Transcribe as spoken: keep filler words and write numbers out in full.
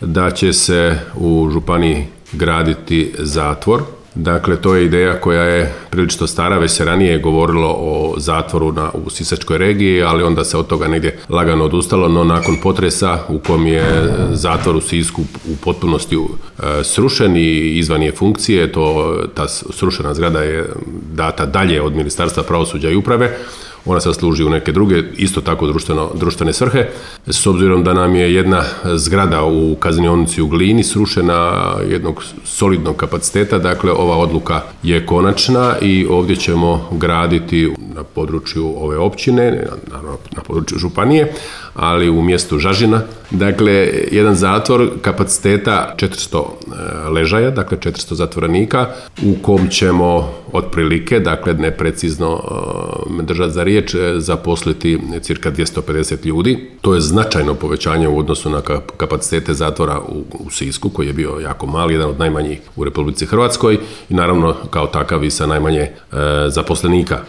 da će se u županiji graditi zatvor. Dakle, to je ideja koja je prilično stara, već se ranije govorilo o zatvoru na, u Sisačkoj regiji, ali onda se od toga negdje lagano odustalo, no nakon potresa u kom je zatvor u Sisku u potpunosti e, srušen i izvan je funkcije, to, ta srušena zgrada je data dalje od Ministarstva pravosuđa i uprave. Ona sad služi u neke druge, isto tako društveno, društvene svrhe. S obzirom da nam je jedna zgrada u kaznionici u Glini srušena jednog solidnog kapaciteta, dakle ova odluka je konačna i ovdje ćemo graditi na području ove općine, na, na području županije, ali u mjestu Žažina. Dakle, jedan zatvor kapaciteta četiristo ležaja, dakle četiristo zatvorenika, u kom ćemo otprilike, dakle neprecizno me držati za riječ, zaposliti cirka dvjesto pedeset ljudi. To je značajno povećanje u odnosu na kapacitete zatvora u, u Sisku, koji je bio jako mali, jedan od najmanjih u Republici Hrvatskoj i naravno kao takav i sa najmanje e, zaposlenika.